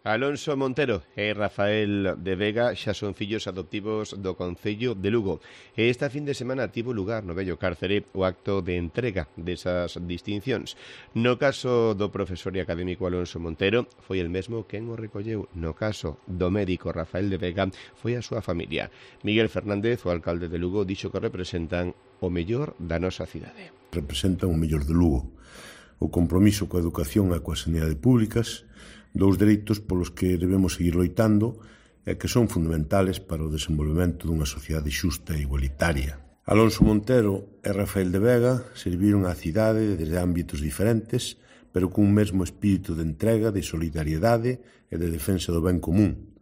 Alonso Montero e Rafael de Vega xa son fillos adoptivos do Concello de Lugo. E esta fin de semana tivo lugar no vello cárcere o acto de entrega desas distincións. No caso do profesor e académico Alonso Montero, foi el mesmo quen o recolleu. No caso do médico Rafael de Vega, foi a súa familia. Miguel Fernández, o alcalde de Lugo, dixo que representan o mellor da nosa cidade. Representan o mellor de Lugo. O compromiso coa educación e coa sanidade públicas, dous dereitos polos que debemos seguir loitando e que son fundamentales para o desenvolvemento dunha sociedade xusta e igualitaria. Alonso Montero e Rafael de Vega serviron á cidade desde ámbitos diferentes, pero cun mesmo espírito de entrega, de solidariedade e de defensa do ben común.